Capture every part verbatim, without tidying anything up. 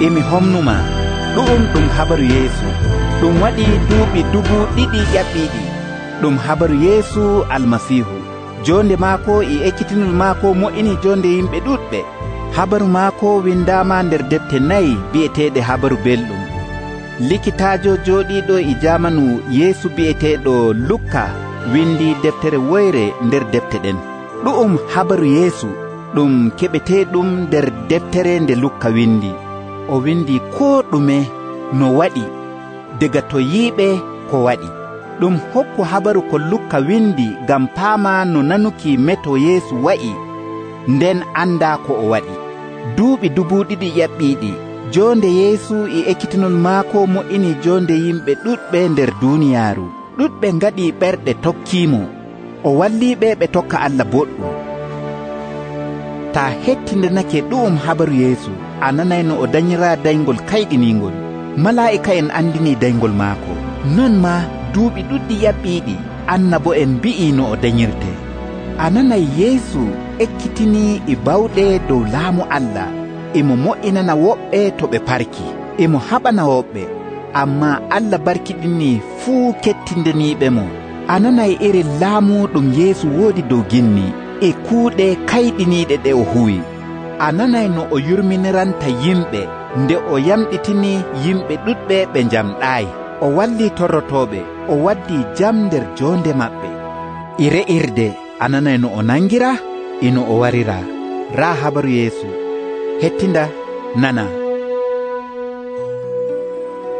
emi homnumaa. Ɗu'um ɗum habaru Yeesu ɗum waɗi duuɓi dubu ɗiɗi ƴaɓɓiiɗi. Ɗum habaru Yeesu Almasiihu. Jonde maako e ekkitinol maako mo'ini jonde yimɓe ɗuɗɓe. Habaru maako windaama nder defte nayi bi'eteeɗe habaru belɗum. Likitaajo jooɗiiɗo e jaamanu Yeesu bi'eteeɗo Lukka windi deftere woyre nder defte ɗen. Ɗu'um habaru Yeesu ɗum keɓeteeɗum nder deftere nde Lukka windi. O windi koo ɗume no waɗi daga to yiiɓe ko waɗi. Ɗum hokku habaru ko Lukka windi ngam paama no nanuki meto Yeesu wa'i nden anda ko o waɗi. Duuɓi dubu ɗiɗi ƴaɓɓiiɗi jonde Yeesu e ekkitinol maako mo'ini jonde yimɓe ɗuɗɓe nder duuniyaaru. Ɗuɗɓe ngaɗi ɓerɗe tokkiimo. O walliiɓe ɓe tokka Allah boɗɗum. Taa hettindanake ɗu'um habaru Yeesu, a nanay no o dañiraa dayngol kayɗiniingol. Malaa'ika'en andini dayngol maako. Non maa duuɓi ɗuɗɗi ƴaɓɓiiɗi annabo'en mbi'i no o dañirte. A nanay Yeesu ekkitinii e bawɗe dow laamu Allah. Emo mo'inana woɓɓe to ɓe parki, emo haɓana woɓɓe, ammaa Allah barkiɗinii fuu kettindaniiɓemo. A nanay iri laamu ɗum Yeesu woodi dow ginni e kuuɗe kayɗiniiɗe ɗe o huwi. A nanay no o yurminiranta yimɓe nde o yamɗitini yimɓe ɗuɗɓe ɓe njamɗaayi. O wallii torrotooɓe, o waddii jam nder joonde maɓɓe. E re'irde a nanay no o nangira e no o warira. Raa habaru Yeesu. Hettinda nana.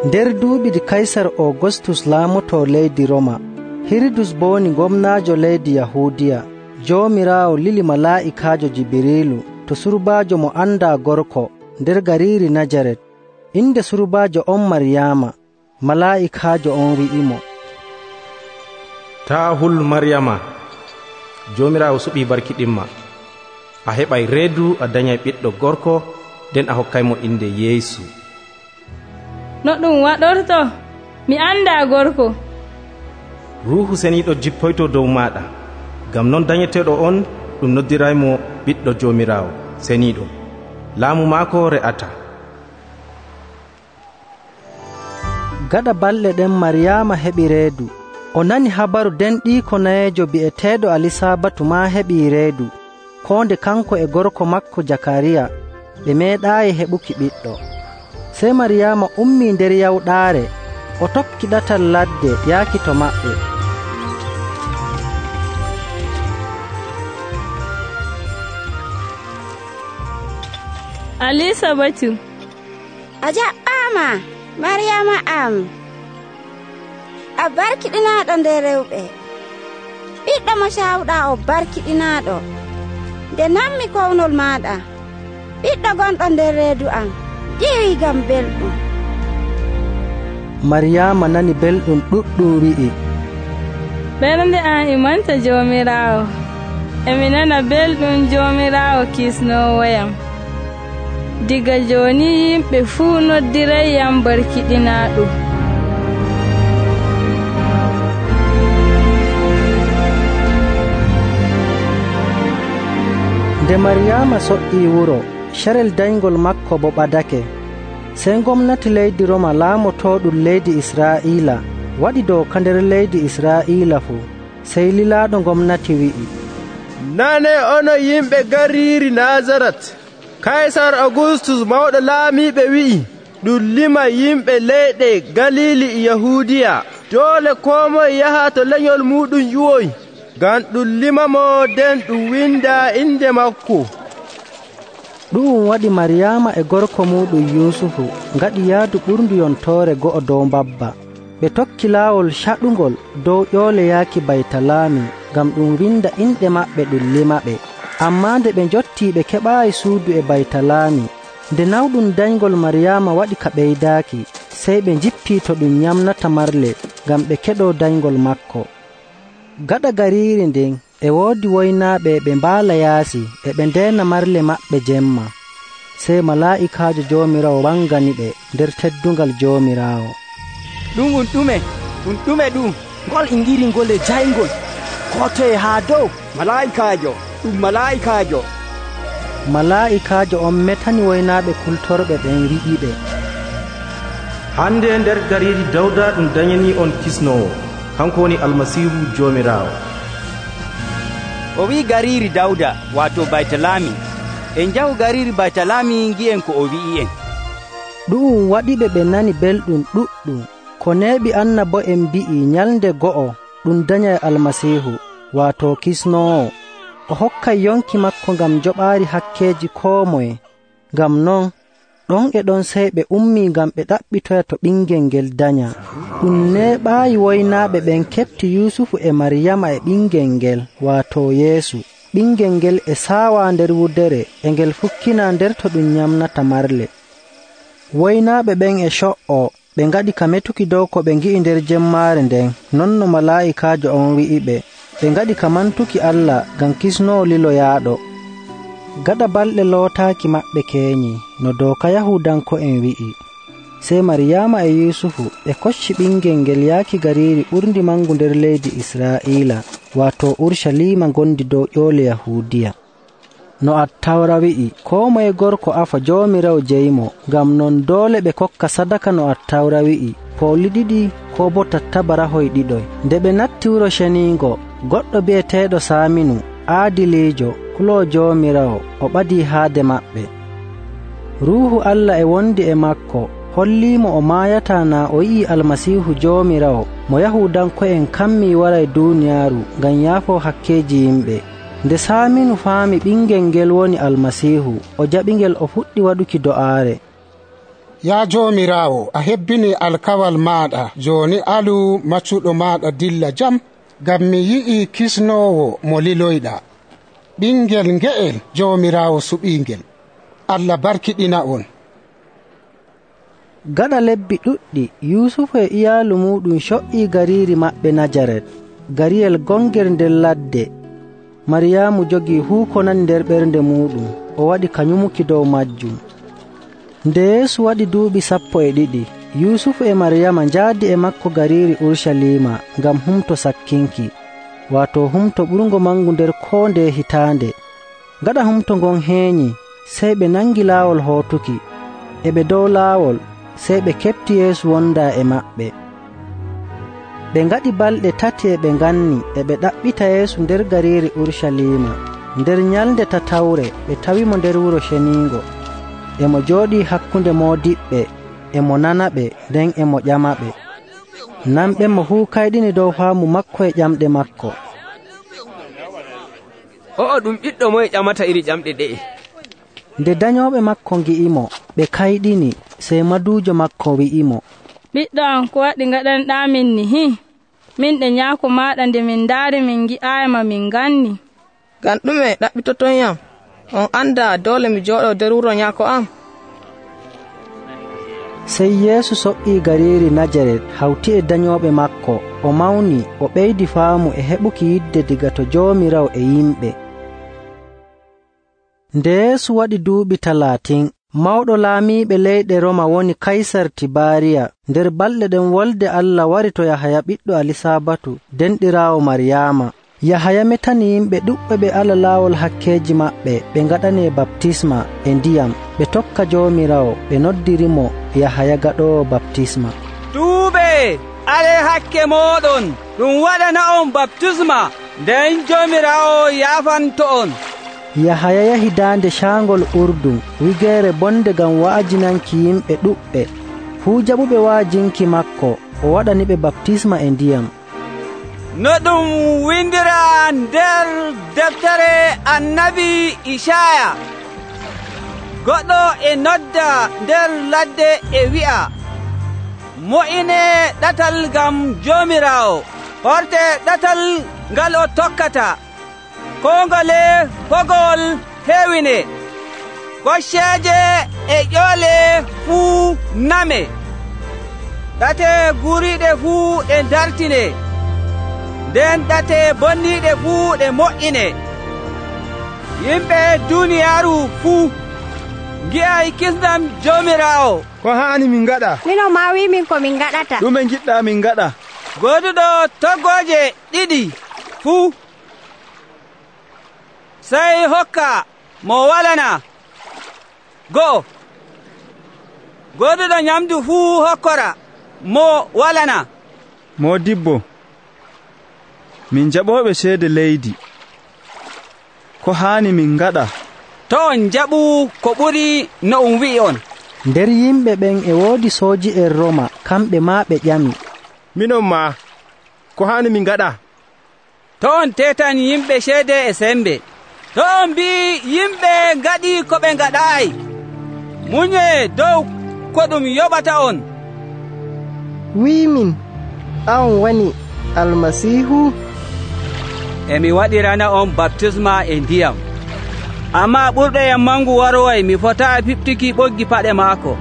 Nder duuɓi ɗi Kaysar Augustus laamoto leydi Roma, Hiridus bo woni gomnaajo leydi Yahuudiya, Joomiraawo lili malaa'ikaajo Jibiriilu to surbaajo mo andaa gorko nder gariiri Najaret. Inde surbaajo on Maryaama. Malaa'ikaajo on wi'imo, taa hul Maryama, Joomiraawo suɓii barkiɗinma. A heɓay reedu a danyay ɓiɗɗo gorko, nden a hokkaymo inde Yeesu. No ɗum waɗorto? Mi andaa gorko. Ruuhu Seniiɗo jippoyto dow maaɗa, ngam non danyeteeɗo on ɗum noddiraymo ɓiɗɗo Joomiraawo Seniiɗo. Laamu maako re'ata. Gaɗa balɗe ɗen Maryaama heɓi reedu. O nani habaru nden ɗiiko nayeejo bi'eteeɗo Alisabatu maa heɓii reedu, koo nde kanko e gorko makko Jakariya ɓe meeɗaayi heɓuki ɓiɗɗo. Sey Maryaama ummii nder yawɗaare, o tokki ɗatal ladde yaaki to maɓɓe. Alisabatu, a jaɓɓaama Maryaama am, a barkiɗinaaɗo nder rewɓe. Ɓiɗɗo mo caawɗaa o barkiɗinaaɗo. Nde nammi kownol maaɗa, ɓiɗɗo gonɗo nder reedu am ƴiwi ngam belɗum. Maryaama nani belɗum ɗuɗɗum wi'i, ɓernde am e manta Joomiraawo. Emi nana belɗum Joomiraawo kisnoowoyam. Diga jooni yimɓe fuu noddirayyam barkiɗinaaɗo. Nde Maryaama soƴƴii wuro, carel dayngol makko bo ɓadake. Sey gomnati leydi Roma laamotooɗum leydi Israa'iila waɗi dooka nder leydi Israa'iila fuu. Sey lilaaɗo gomnati wi'i, nane ono yimɓe gariiri Nazaret, Kaysar Augustus mawɗo laamiiɓe wi'i ɗum lima yimɓe leyɗe Galili e Yahuudiya. Doole koo moye yaha to lenyol muɗum ƴuwoy, ngam ɗum limamo nden ɗum winda inde makko. Ɗu'um waɗi Maryaama e gorko muɗum Yuusufu ngaɗi yaadu ɓurndu yontoore go'o dow mbabba. Ɓe tokki laawol caɗungol dow ƴoole yaaki Baytalaami ngam ɗum winda inɗe maɓɓe ɗum limaɓe. Ammaa nde ɓe njottii ɓe keɓaayi suudu e Baytalaami. Nde nawɗum dayngol Maryaama waɗi ka ɓeydaaki, sey ɓe njippii to ɗum nyamnata marle ngam ɓe keɗoo dayngol makko. Gaɗa gariiri nden e woodi woynaaɓe ɓe mbaala yaasi e ɓe ndeena marle maɓɓe jemma. Sey malaa'ikaajo Joomiraawo wanganiɓe nder teddungal Joomiraawo. Ɗum ɗum ɗume? Ɗum ɗume ɗum? Ngol ingiri ngol e jayngol. Ko toye haa dow? Malaa'ikaajo, ɗum malaa'ikaajo. malaa'ikaajo on metani woynaaɓe kultorɓe ɓen wi'iɓe, hande nder gariiri Dawda ɗum danyani on kisnoowo, kanko woni Almasiihu Joomiraawo. O wi'i gariiri Dawda waato Baytalami. En njahu gariiri Baytalami ngi'en ko o wi'i'en. ɗu'um waɗiɓe ɓe nani belɗum ɗuɗɗum. Ko neeɓi annabo'en mbi'i nyalnde go'o ɗum danyay Almasiihu waato kisnoowo. O hokkay yonki makko ngam joɓaari hakkeeji koo moye. Ngam non ɗon e ɗon sey ɓe ummii ngam ɓe ɗaɓɓitoya to ɓingel ngel danya. Ɗum neeɓaayi woynaaɓe ɓen keɓti Yusufu e Maryama e ɓingel ngel waato Yeesu. Ɓingel ngel e saawa nder wudere e ngel fukkina nder to ɗum nyamnata marle. Woynaaɓe ɓen e co''o ɓe ngaɗi ka metuki dow ko ɓe ngi'i nder jemmaare nden, non no malaa'ikaajo on wi'iɓe. Ɓe ngaɗi ka mantuki Allah ngam kisnoowo liloyaaɗo. Gaɗa balɗe lootaaki maɓɓe keeñi no dooka Yahuudanko'en wi'i, sey Maryama e Yusufu ɓe kocci ɓingel ngel yaaki gariiri ɓurndi mangu nder leydi Israa'iila, waato Urshalima ngondi dow ƴoole Yahuudiya. No Attawra wi'i, koo moye gorko afa Joomiraawo jeyimo, ngam non doole ɓe kokka sadaka no Attawra wi'i, pooli ɗiɗi koo bo tattabarahoy ɗiɗoy. Nde ɓe natti wuro ceniingo, goɗɗo bi'eteeɗo Saaminu, aadiliijo, kuloo Joomiraawo, o ɓadii haade maɓɓe. Ruuhu Allah e wondi e makko, holliimo o maayataa naa o yi'i Almasiihu Joomiraawo mo Yahuudanko'en kammii waray duuniyaaru ngam yaafoo hakkeeji yimɓe. Nde Saaminu faami ɓingel ngel woni Almasiihu, o jaɓingel o fuɗɗi waɗuki do'aare. Yaa Joomiraawo, a hebbini alkawal maaɗa, jooni alu maccuɗo maaɗa dilla jam, ngam mi yi'i kisnoowo mo liloyɗaa. Ɓingel nge'el Joomiraawo suɓiingel. Allah barkiɗina on. Gaɗa lebbi ɗuɗɗi, Yusufu e iyaalu muɗum co''ii gariiri maɓɓe Najaret, gariyel gongel nder ladde. Maryamu jogii fuu ko nani nder ɓernde muɗum, o waɗi ka nyumuki dow majjum. Nde Yeesu waɗi duuɓi sappo e ɗiɗi, Yusufu e Maryama njaadi e makko gariiri Urshalima ngam humto sakkinki, waato humto ɓurngo mangu nder koo nde hitaande. Gaɗa humto ngon heeñi, sey ɓe nangi laawol hootuki. E ɓe dow laawol, sey ɓe keɓti Yeesu wondaa e maɓɓe. Ɓe ngaɗi balɗe tati e ɓe nganni e ɓe ɗaɓɓita Yeesu nder gariiri Urshalima. Nder nyalnde tatawre ɓe tawimo nder wuro ceniingo. E mo jooɗii hakkunde moodiɓɓe, e mo nanaɓe, nden e mo ƴamaɓe. Nanɓe mo fuu kayɗini dow faamu makko e ƴamɗe makko. O'o ɗum ɓiɗɗo moye ƴamata iri ƴamɗe ɗe'e? Nde danyooɓe makko ngi'imo, ɓe kayɗini, sey maduujo makko wi'imo, ɓiɗɗo am, ko waɗi ngaɗanɗamin ni hi? Min ɗe nyaako maaɗa nde min ndaari min ngi'aayima min nganni. Ngam ɗume ɗaɓɓitoton yam? On anda doole mi jooɗo nder wuro nyaako am? Sey Yeesu soɓɓii gariiri Najaret hawti e danyooɓe makko, o mawni, o ɓeydi faamu e heɓuki yidde diga to Joomiraawo e yimɓe. Nde Yeesu waɗi duuɓi talaatin, mawɗo laamiiɓe leyɗe Roma woni Kaysar Tibaariya. Nder balɗe ɗen wolde Allah wari to Yahaya ɓiɗɗo Alisaabatu, denɗiraawo Maryaama. Yahaya metani yimɓe ɗuɓɓe ɓe ala laawol hakkeeji maɓɓe, ɓe ngaɗanee baptisma e ndiyam, ɓe tokka Joomiraawo, ɓe noddirimo Yahaya gaɗoowo baptisma. Tuube, ale hakke mooɗon, ɗum waɗana on baptisma, nden Joomiraawo yaafanto on. Yahaya yahi daande caangol Urdun, wigeere bonde ngam wa'ajinanki yimɓe ɗuɓɓe. Fuu jaɓuɓe wa'ajinki makko, o waɗaniɓe baptisma e ndiyam. No ɗum windira nder deftere annabi Isaya, goɗɗo e nodda nder ladde e wi'a, mo'ine ɗatal ngam Joomiraawo, horte ɗatal ngal o tokkata, kongole fogol heewine, gocceeje e ƴoole fuu name, ɗate guriiɗe fuu ɗe dartine, nden ɗate bonniiɗe fuu ɗe mo'ine. Yimɓe duuniyaaru fuu ngi'ay kisndam Joomiraawo. Ko haani min ngaɗa? Mino ma wimin ko min ngaɗata. Ɗume giɗɗa min ngaɗa? Gooduɗo toggooje ɗiɗi fuu sey hokka mo walana. Go'o, goduɗo nyamdu fuu hokkora mo walana. Modibbo, min jaɓoɓe ceede leydi, ko haani min ngaɗa? To on jaɓu ko ɓuri no um wi'i on. Nder yimɓe ɓen e woodi sooji'en Roma, kamɓe maa ɓe ƴami, minon maa, ko haani min ngaɗa? To on tetan yimɓe ceede e sembe, to on mbi'i yimɓe ngaɗi ko ɓe ngaɗaayi, muñee dow ko ɗum yoɓata on. Wi'imin, an woni Almasiihu? Emi waɗirana on baptisma e ndiyam, ammaa ɓurɗo yam mangu waroway, mi fotaa fiɓtuki ɓoggi paɗe maako.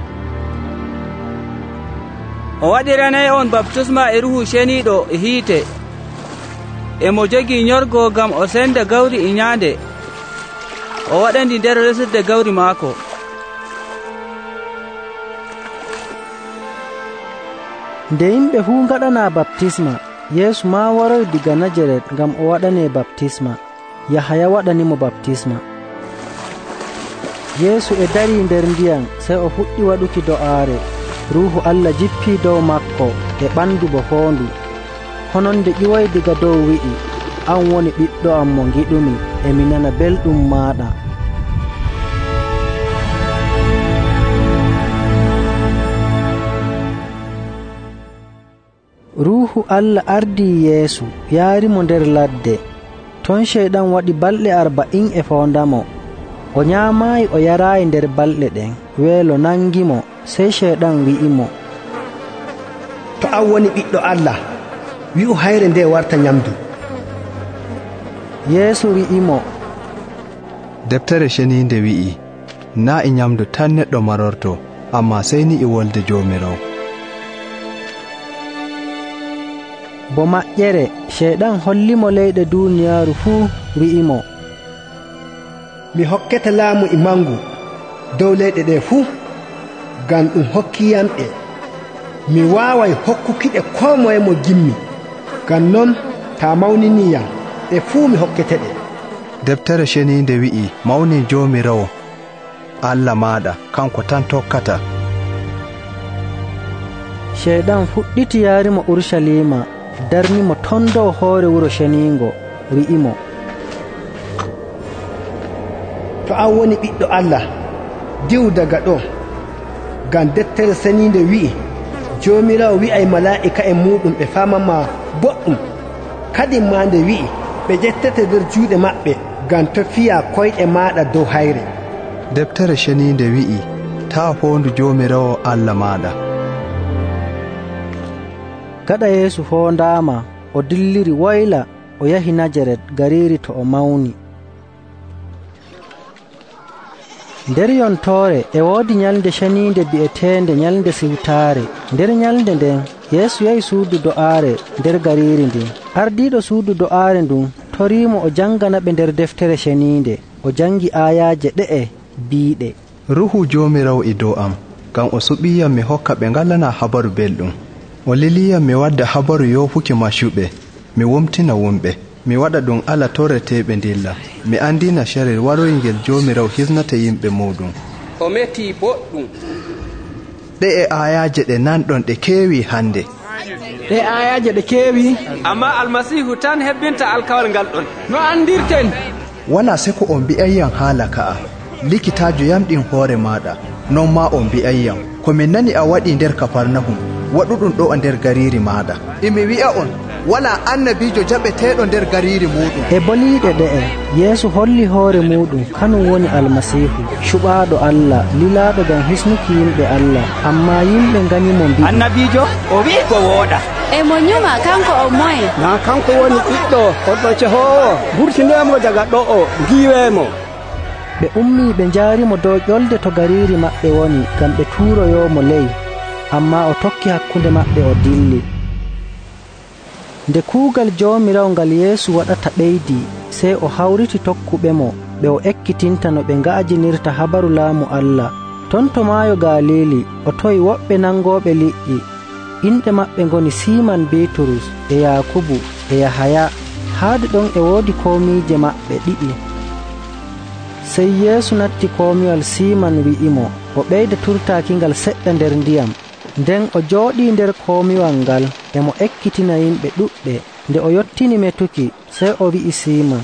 O waɗiranay on baptisma e Ruuhu Ceniiɗo e hiite, e mo jogii nyorgo ngam o senda gawri e nyaande, o waɗandi nder resirde gawri maako. Nde yimɓe fuu ngaɗanaa baptisma, Yeesu maa waroy diga Najaret ngam o waɗanee baptisma. Yahaya waɗanimo baptisma. Yeesu e darii nder ndiyam, sey o fuɗɗi waɗuki do'aare. Ruuhu Allah jippii dow maako e ɓandu bo foondu. Hononde ƴiwoy diga dow wi'i, an woni ɓiɗɗo am mo ngiɗumi, e mi nana belɗum maaɗa. Ruuhu Allah ardii Yeesu yaarimo nder ladde. Ton Ceyɗan waɗi balɗe arba'in e foondamo. O nyaamaayi o yaraayi nder balɗe ɗen. Weelo nangimo, sey Ceyɗan wi'imo, to an woni ɓiɗɗo Allah, wi'u hayre nde warta nyamdu. Yeesu wi'imo, Deftere Ceniinde wi'i, naa e nyamdu tan neɗɗo marorto, ammaa sey ni e wolde Joomiraawo. Bo maƴƴere Ceyɗan hollimo leyɗe duuniyaaru fuu, wi'imo, mi hokkete laamu e mangu dow leyɗe ɗe fuu, ngam ɗum hokkiyamɗe. Mi waaway hokkukiɗe koo moye mo gimmi. Ngam non taa mawniniyam, ɗe fuu mi hokketeɗe. Deftere Ceniinde wi'i, mawni Joomiraawo Allah maaɗa, kanko tan tokkata. Ceyɗan fuɗɗiti yaarimo Urusalima, darnimo ton dow hoore wuro ceniingo, wi'imo, to an woni ɓiɗɗo Allah, diwu daga ɗo, ngam deftere Ceniinde wi'i, Joomiraawo wi'ay malaa'ika en muɗum ɓe faamama boɗɗum. Kadi maa nde wi'i, ɓe ƴettete nder juuɗe maɓɓe, ngam to fiya koyɗe maaɗa dow hayre. Deftere Ceniinde wi'i, taa foondu Joomiraawo Allah maaɗa. Gaɗa Yeesu foondaama, o dilliri woyla, o yahi Najaret, gariiri to o mawni. Nder yontoore e woodi nyalnde ceniinde bi'eteende Nyalnde Siwtaare. Nder nyalnde nden Yeesu yahi suudu do'aare nder gariiri ndin. Ardiiɗo suudu do'aare ndun toriimo o jangana ɓe nder deftere ceniinde. O jangi aayaaje ɗe'e biiɗe, Ruuhu Joomiraawo e dow am, ngam o suɓiiyam mi hokka ɓe ngalana habaru belɗum. O liliyam mi wadda habaru yoofuki maccuɓe, mi womtina wumɓe, mi waɗa ɗum ala torreteeɓe ndilla, mi andina carel waroyngel Joomiraawo hisnata yimɓe muɗum. O metii boɗɗum. Ɗe e ayaaje ɗe nanɗon ɗe keewi hande. Ɗe ayaaje ɗe keewi, amma Almasiihu tan hebbinta alkawal ngal ɗon. No andirten? Wala seko on mbi'ayyam haala ka'a, likitaajo yamɗin hoore maaɗa, non ma on mbi'ayyam, ko min nani a waɗi nder Kafarnahum, waɗuɗum ɗo nder gariiri maaɗa. Imi wi'a on, wala annabiijo jaɓeteeɗo nder gariiri muɗum. E boliiɗe ɗe'e Yeesu holli hoore muɗum kanum woni Almasiihu, cuɓaaɗo Allah, lilaaɗo ngam hisnuki yimɓe Allah. Ammaa yimɓe nganyimo mbi'i, annabiijo o wi'i ko wooɗa. E mo nyuma kanko o moye? Na kanko woni ɓiɗɗo oɗɗo cehoowo, vurtinemo daga ɗo'o, giiweemo. Ɓe ummii ɓe njaarimo dow ƴolde to gariiri maɓɓe woni, ngam ɓe tuuroyoomo ley. Ammaa o tokki hakkunde maɓɓe o dilli. Nde kuugal Joomiraawo ngal Yeesu waɗata ɓeydii, sey o hawriti tokkuɓemo ɓe o ekkitinta no ɓe nga'ajinirta habaru laamu Allah. Ton to maayo Galiili o toyi woɓɓe nangooɓe liƴƴi. Inɗe maɓɓe ngoni Siiman Biiturus e Yaakubu e Yahaya. Haade ɗon e woodi komiije maɓɓe ɗiɗi. sey Yeesu natti komiwal Siiman wi'imo o ɓeyda turtaakingal seɗɗa nder ndiyam. Nden o jooɗii nder komiwal ngal e mo ekkitina yimɓe ɗuɗɓe. Nde o yottini metuki, sey o wi'i Siiman,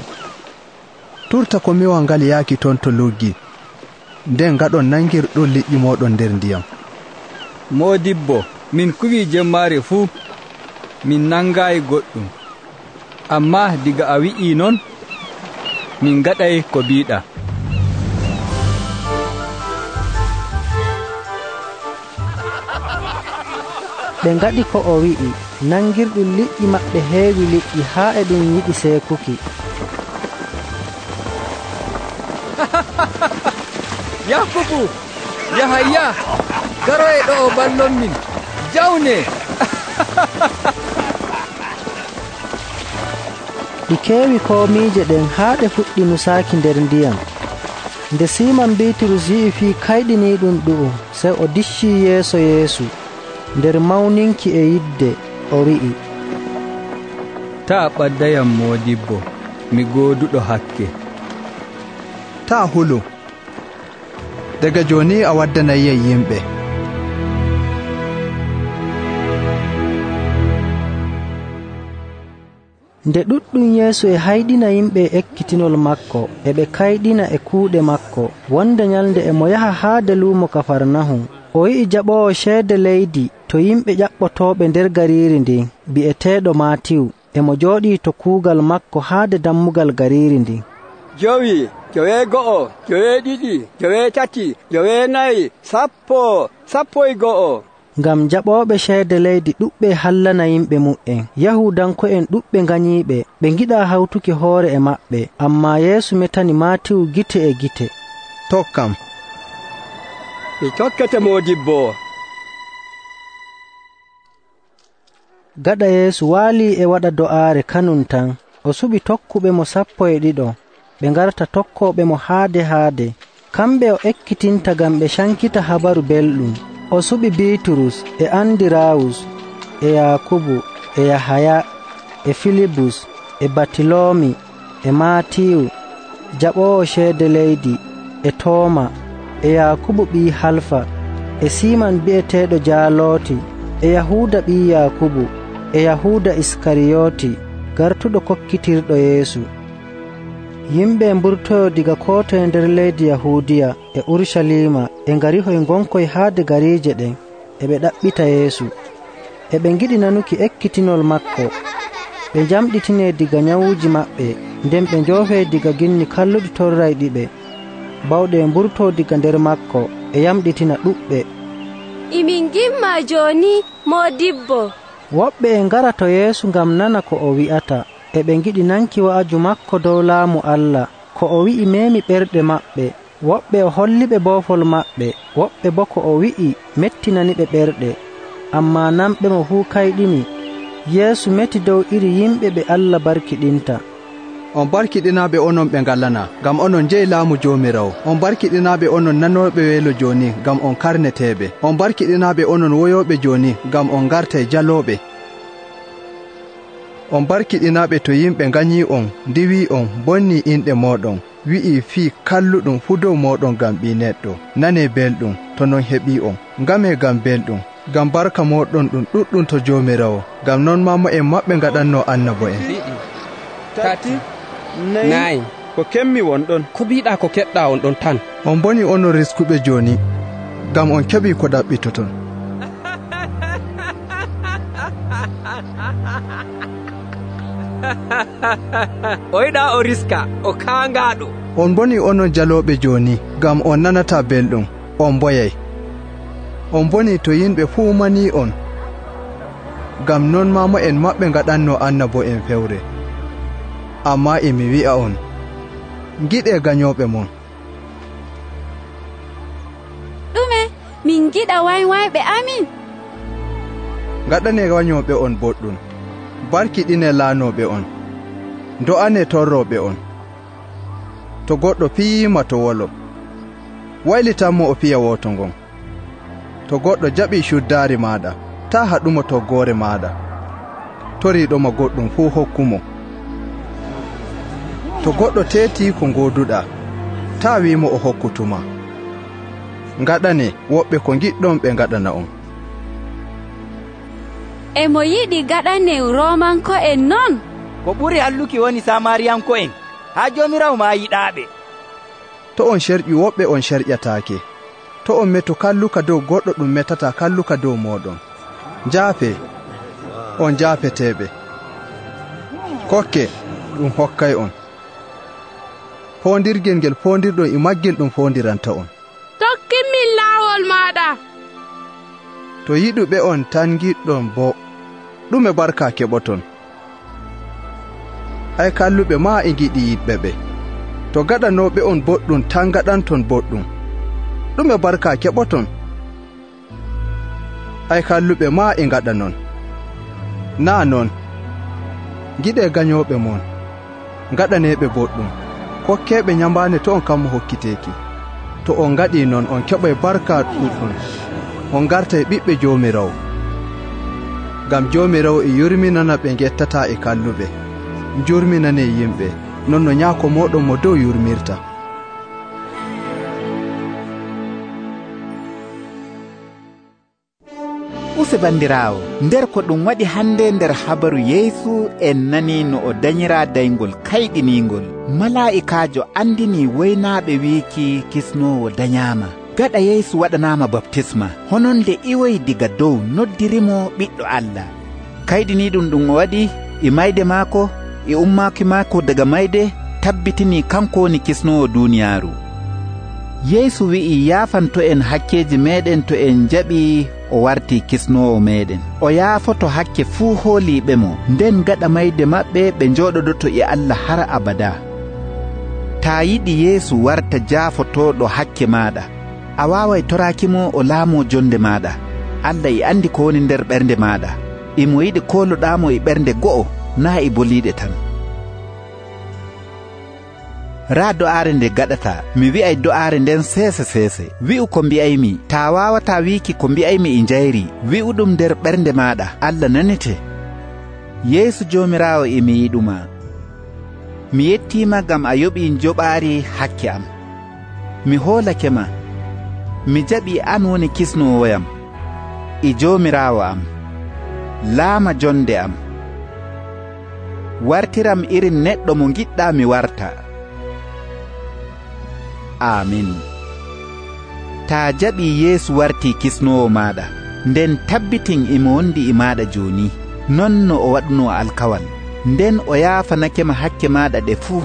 turta komiwal ngal yaaki ton to luggi, nden ngaɗon nangirɗon liƴƴi mooɗon nder ndiyam. Moodibbo, min kuwii jemmaare fuu, min nangaayi goɗɗum. Ammaa diga a wi'ii non, min ngaɗay ko biiɗaa. Ɓe ngaɗi ko o wi'i, nangirɗum liƴƴi maɓɓe heewi liƴƴi haa e ɗum yiɗi seekuki. Yakubu, Yahaya, garoye ɗo o ballon min, jawne! Ɗi keewi koomiije ɗen haa ɗe fuɗɗi nusaaki nder ndiyam. Nde Siiman Biiturus yi'i fii kayɗiniiɗum ɗu'um, sey o diccii yeeso Yeesu. Nder mawninki e yidde o wi'i, taa ɓaddayam moodibbo, mi gooduɗo hakke. Taa hulu, daga jooni a waddanayiyam yimɓe. Nde ɗuɗɗum Yeesu e hayɗina yimɓe ekkitinol makko e ɓe kayɗina e kuuɗe makko, wonde nyalnde e mo yaha haade luumo Kafarnahum. O yi'i jaɓoowo ceede leydi to yimɓe ƴaɓɓotooɓe nder gariiri ndin bi'eteeɗo Maatiyu, e mo jooɗii to kuugal makko haade dammugal gariiri ndin. Jowi, jowee go'o, jowee ɗiɗi, jowee tati, jowee nayi, sappo, sappo e go'o. Ngam jaɓooɓe ceede leydi ɗuɓɓe hallana yimɓe mu'en, Yahuudanko'en ɗuɓɓe nganyiiɓe, ɓe ngiɗaa hawtuki hoore e maɓɓe. Ammaa Yeesu metani Maatiyu gite e gite. Tokkam. Mi tokkete moodibbo. Gaɗa Yeesu waalii e waɗa do'aare kanum tan, o suɓi tokkuɓe mo sappo e ɗiɗo, ɓe ngarta tokkooɓe mo haade haade. Kamɓe o ekkitinta ngam ɓe cankita habaru belɗum. O suɓi Biiturus e Andiraawus e Yaakubu e Yahaya e Filibus e Batiloomi e Maatiyu jaɓoowo ceede leydi e Tooma e Yaakubu ɓii Halfa e Siiman bi'eteeɗo Jaalooti e Yahuuda ɓii Yaakubu e Yahuuda Iskariyooti gartuɗo kokkitirɗo Yeesu. Yimɓe mburtoyo diga koo toye nder leydi Yahuudiya e Urucaliima e ngarihoy ngonkoy haade gariije ɗen e ɓe ɗaɓɓita Yeesu. E ɓe ngiɗi nanuki ekkitinol makko. Ɓe njamɗitinee diga nyawuuji maɓɓe, nden ɓe njoofee diga ginni kalluɗi torrayɗiɓe. Bawɗe e mburtoo diga nder makko e yamɗitina ɗuɓɓe. Imin gimma jooni, Moodibbo. Woɓɓe e ngara to Yeesu ngam nana ko o wi'ata, e ɓe ngiɗi nanki wa'aju makko dow laamu Allah. Ko o wi'i meemi ɓerɗe maɓɓe. Woɓɓe o holliɓe boofol maɓɓe, woɓɓe boo ko o wi'i mettinaniɓe ɓerɗe. Ammaa nanɓe mo fuu kayɗini. Yeesu meti dow iri yimɓe ɓe Allah barkiɗinta. On barkiɗinaaɓe onon ɓe ngalana, ngam onon jeyi laamu Joomiraawo. On barkiɗinaaɓe onon nanooɓe weelo jooni, ngam on karneteeɓe. On barkiɗinaaɓe onon woyooɓe jooni, ngam on ngartay jalooɓe. On barkiɗinaaɓe to yimɓe nganyii on, ndiwii on, bonnii inɗe mooɗon, wi'ii fii kalluɗum fuu dow mooɗon ngam Ɓii Neɗɗo. Nanee belɗum to non heɓii on. Ngamee ngam belɗum, ngam barka mooɗon ɗum ɗuɗɗum to Joomiraawo. Ngam non mamo'en maɓɓe ngaɗannoo annabo'en. Tati, nayi, ko kemmi wonɗon, ko mbiiɗaa ko keɓɗaa on ɗon tan. On boni onon riskuɓe jooni, ngam on keɓii ko ɗaɓɓitoton. O yiɗaa o riska, o kaangaaɗo. On boni onon jalooɓe jooni, ngam on nanataa belɗum, on mboyay. On boni to yimɓe fuu manii on, ngam non mamo'en maɓɓe ngaɗannoo annabo'en fewre. Ammaa e mi wi'a on, ngiɗee ganyooɓe mon. Ɗume min ngiɗa waywayɓe amin? Ngaɗanee wanyooɓe on boɗɗum, barkiɗinee laanooɓe on, ndo'anee torrooɓe on. To goɗɗo fiyiima to wolo, waylitanmo o fiya woto ngon. To goɗɗo jaɓii cuddaari maaɗa, taa haɗumo toggoore maaɗa. Toriiɗoma goɗɗum fuu hokkumo. To goɗɗo teetii ko ngooduɗaa, taa wiimo o hokkutuma. Ngaɗane woɓɓe ko giɗɗon ɓe ngaɗana on. E mo yiɗi gaɗane Roomanko'en non? Ko ɓuri halluki woni Samariyanko'en, haa Joomiraawo maa yiɗaaɓe. To on sherƴu woɓɓe on sherƴataake. To on meto kalluka dow goɗɗo ɗum metata kalluka dow mooɗon. Njaafe, on njaafeteeɓe. Kokke, ɗum hokkay on. Foondirgel ngel foondirɗon e maggel ɗum foondiranta on. Tokkinmin laawol maaɗa. To yiɗuɓe on tan giɗɗon boo, ɗume barka keɓoton? Ay kalluɓe maa e giɗi yiɗɓe ɓe. To gaɗanooɓe on boɗɗum tan gaɗanton boɗɗum, ɗume barka keɓoton? Ay kalluɓe maa e ngaɗa non. Naa non, giɗee gañooɓe mon, ngaɗaneeɓe boɗɗum, kokkeeɓe nyambaane to on kammo hokkiteeki. To on ngaɗii non on keɓay barka ɗuɗɗum, on gartay ɓiɓɓe Joomiraawo. Ngam Joomiraawo e yurminana ɓe gettataa e kalluɓe, jurminanee yimɓe, non no Nyaako mooɗon mo dow yurmirta. Use bandiraawo, nder ko ɗum waɗi hande nder habaru Yeesu en nani no o dañiraa dayngol kayɗiniingol. Malaa'ikaajo andini woynaaɓe wiiki kisnoowo dañaama. Gaɗa Yeesu waɗanaama baptisma, honon nde iwoyi diga dow noddirimo ɓiɗɗo Allah. Kayɗiniiɗum ɗum o waɗi e mayde maako e ummaaki maako daga mayde tabbitinii kanko woni kisnoowo duuniyaaru. Yeesu wi'i yaafanto en hakkeeji meeɗen to en jaɓii o wartii kisnoowo meeɗen. O yaafoto hakke fuu hooliiɓe mo, nden gaɗa mayde maɓɓe ɓe njooɗodoto e Allah har abada. Taa yiɗi Yeesu warta jaafotooɗo hakke maaɗa, a waaway toraakimo o laamoo jonde maaɗa. Allah e andi ko woni nder ɓernde maaɗa, imo yiɗi kooluɗaamo e ɓernde go'o, naa e boliiɗe tan. Raa do'aare nde gaɗata, mi wi'ay do'aare nden seese seese. Wi'u ko mbi'aymi, taa waawataa wiiki ko mbi'aymi e njayri, wi'u ɗum nder ɓernde maaɗa, Allah nanete. Yeesu Joomiraawo e mi yiɗuma. Mi yettiima ngam a yoɓii njoɓaari hakke am. Mi hoolake ma, mi jaɓii an woni kisnoowoyam e Joomiraawo am. Laama jonde am. Wartiram irin neɗɗo mo ngiɗɗaa mi warta. Amin. Taa jaɓii Yeesu wartii kisnoowo maaɗa, nden tabbitin imo wondi e maaɗa jooni, non no o waɗunoo alkawal. Nden o yaafanakema hakke maaɗa ɗe fuu,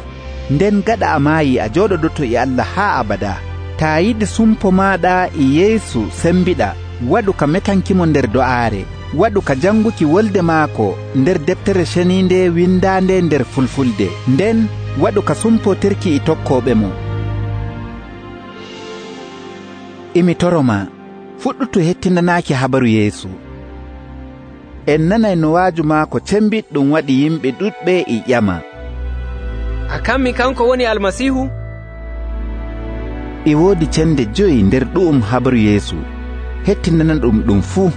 nden gaɗa a maayi a jooɗodoto e Allah haa abada. Taa yiɗi sumpo maaɗa e Yeesu sembiɗa, waɗu ka metankimo nder do'aare, waɗu ka janguki wolde maako nder deftere ceniinde windaande nder Fulfulde, nden waɗu ka sumpotirki e tokkooɓe mo. Imi toroma, fuɗɗutu hettinanaaki habaru Yeesu. En nanay no waaju maako cembiɗɗum waɗi yimɓe ɗuɗɓe e ƴama. A kammi kanko woni Almasiihu? E woodi cende joyi nder ɗu'um habaru Yeesu, hettinana ɗum ɗum fuu.